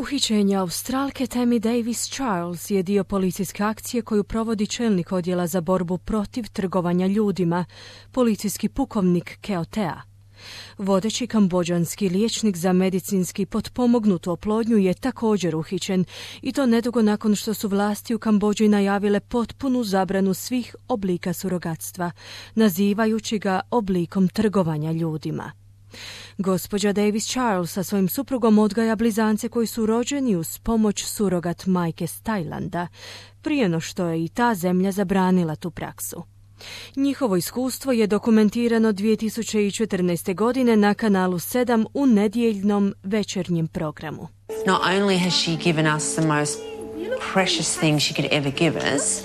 Uhićenje Australke Tammy Davis Charles je dio policijske akcije koju provodi čelnik odjela za borbu protiv trgovanja ljudima, policijski pukovnik Keo Tea. Vodeći kambodžanski liječnik za medicinski potpomognutu oplodnju je također uhićen i to nedugo nakon što su vlasti u Kambodži najavile potpunu zabranu svih oblika surogatstva, nazivajući ga oblikom trgovanja ljudima. Gospođa Davis Charles sa svojim suprugom odgaja blizance koji su rođeni uz pomoć surogat majke s Tajlanda, prije no što je i ta zemlja zabranila tu praksu. Njihovo iskustvo je dokumentirano 2014. godine na kanalu 7 u nedjeljnom večernjem programu. Not only has she given us the most precious thing she could ever give us,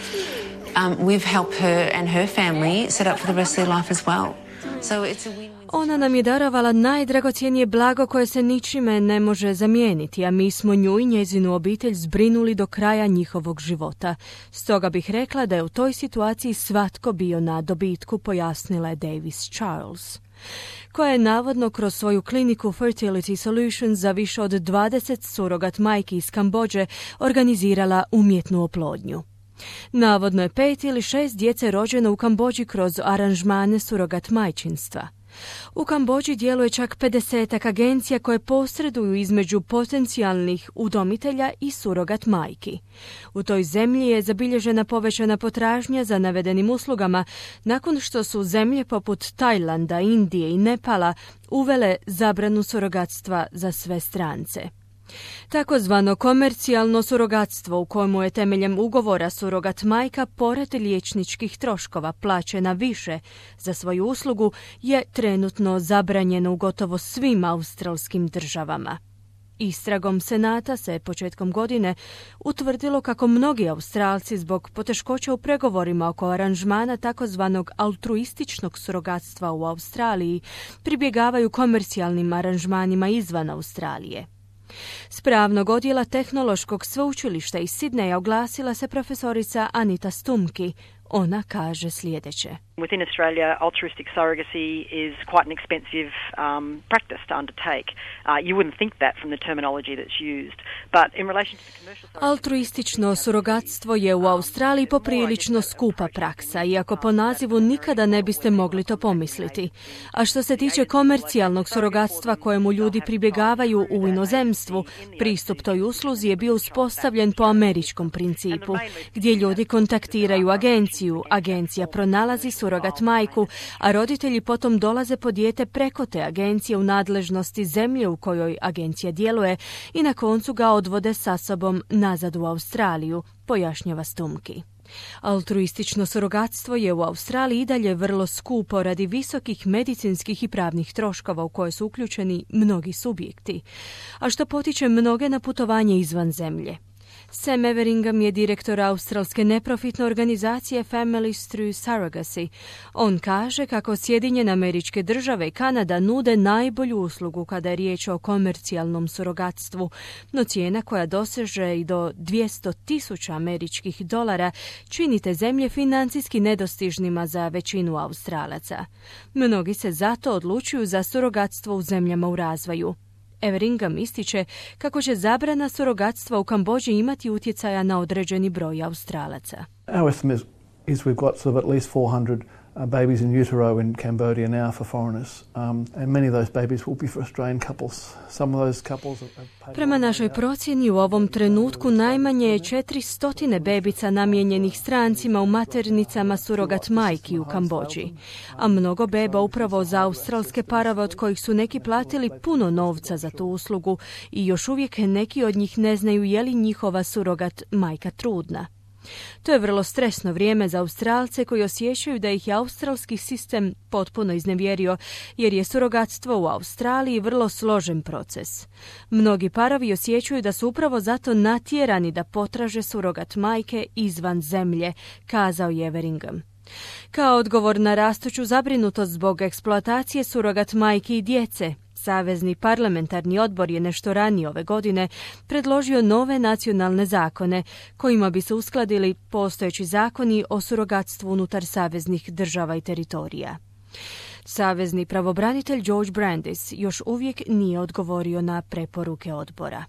we've helped her and her family set up for the rest of their life as well. So it's a win-win. Ona nam je darovala najdragocjenije blago koje se ničime ne može zamijeniti, a mi smo nju i njezinu obitelj zbrinuli do kraja njihovog života. Stoga bih rekla da je u toj situaciji svatko bio na dobitku, pojasnila je Davis Charles, koja je navodno kroz svoju kliniku Fertility Solutions za više od 20 surogat majki iz Kambodže organizirala umjetnu oplodnju. Navodno je 5 ili 6 djece rođeno u Kambodži kroz aranžmane surogat majčinstva. U Kambodži djeluje čak 50 agencija koje posreduju između potencijalnih udomitelja i surogat majki. U toj zemlji je zabilježena povećana potražnja za navedenim uslugama nakon što su zemlje poput Tajlanda, Indije i Nepala uvele zabranu surogatstva za sve strance. Takozvano komercijalno surogatstvo u kojemu je temeljem ugovora surogat majka pored liječničkih troškova plaćena više za svoju uslugu je trenutno zabranjeno u gotovo svim australskim državama. Istragom Senata se početkom godine utvrdilo kako mnogi Australci zbog poteškoća u pregovorima oko aranžmana takozvanog altruističnog surogatstva u Australiji pribjegavaju komercijalnim aranžmanima izvan Australije. S pravnog odjela Tehnološkog sveučilišta iz Sidneja oglasila se profesorica Anita Stumki. Ona kaže sljedeće. Within Australia, altruistic surrogacy is quite an expensive practice to undertake. You wouldn't think that from the terminology that's used. But in relation to the commercial surrogacy... Altruistično surogatstvo je u Australiji poprilično skupa praksa, iako po nazivu nikada ne biste mogli to pomisliti. A što se tiče komercijalnog surogatstva kojemu ljudi pribjegavaju u inozemstvu, pristup toj usluzi je bio uspostavljen po američkom principu, gdje ljudi kontaktiraju agenciju, agencija pronalazi surogat majku, a roditelji potom dolaze po dijete preko te agencije u nadležnosti zemlje u kojoj agencija djeluje i na koncu ga odvode sa sobom nazad u Australiju, pojašnjava Stumki. Altruistično surogatstvo je u Australiji i dalje vrlo skupo radi visokih medicinskih i pravnih troškova u koje su uključeni mnogi subjekti, a što potiče mnoge na putovanje izvan zemlje. Sam Everingham je direktor australske neprofitne organizacije Families Through Surrogacy. On kaže kako Sjedinjene Američke Države i Kanada nude najbolju uslugu kada je riječ o komercijalnom surogatstvu, no cijena koja doseže i do $200,000 američkih dolara čini te zemlje financijski nedostižnima za većinu Australaca. Mnogi se zato odlučuju za surogatstvo u zemljama u razvoju. Everingham ističe kako će zabrana surogatstva u Kambodži imati utjecaja na određeni broj Australaca. Our estimate is we've got sort of at least 400 babies in utero in Cambodia now for foreigners, and many of those babies will be for Australian couples. Some of those couples have paid... Prema našoj procjeni u ovom trenutku najmanje je 400 bebica namijenjenih strancima u maternicama surogat majki u Kambodži, a mnogo beba upravo za australske parove od kojih su neki platili puno novca za tu uslugu i još uvijek neki od njih ne znaju je li njihova surogat majka trudna. To je vrlo stresno vrijeme za Australce koji osjećaju da ih je australski sistem potpuno iznevjerio, jer je surogatstvo u Australiji vrlo složen proces. Mnogi parovi osjećaju da su upravo zato natjerani da potraže surogat majke izvan zemlje, kazao je Everingham. Kao odgovor na rastuću zabrinutost zbog eksploatacije surogat majki i djece, Savezni parlamentarni odbor je nešto ranije ove godine predložio nove nacionalne zakone kojima bi se uskladili postojeći zakoni o surogatstvu unutar saveznih država i teritorija. Savezni pravobranitelj George Brandis još uvijek nije odgovorio na preporuke odbora.